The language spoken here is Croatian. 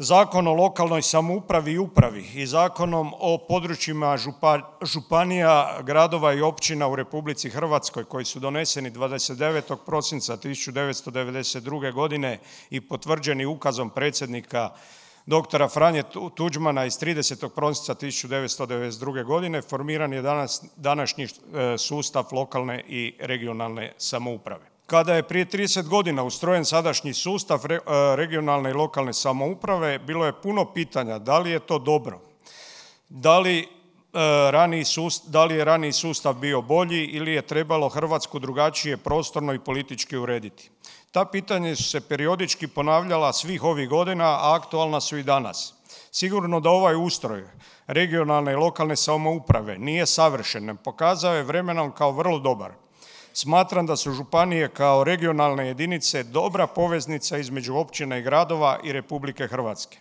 Zakon o lokalnoj samoupravi i upravi i Zakonom o područjima županija, gradova i općina u Republici Hrvatskoj koji su doneseni 29. prosinca 1992. godine i potvrđeni ukazom predsjednika dr. Franje Tuđmana iz 30. prosinca 1992. godine formiran je današnji sustav lokalne i regionalne samouprave. Kada je prije 30 godina ustrojen sadašnji sustav regionalne i lokalne samouprave bilo je puno pitanja da li je to dobro, da li je raniji sustav bio bolji ili je trebalo Hrvatsku drugačije prostorno i politički urediti. Ta pitanja su se periodički ponavljala svih ovih godina, a aktualna su i danas. Sigurno da ovaj ustroj regionalne i lokalne samouprave nije savršen, pokazao je vremenom kao vrlo dobar. Smatram da su županije kao regionalne jedinice dobra poveznica između općina i gradova i Republike Hrvatske.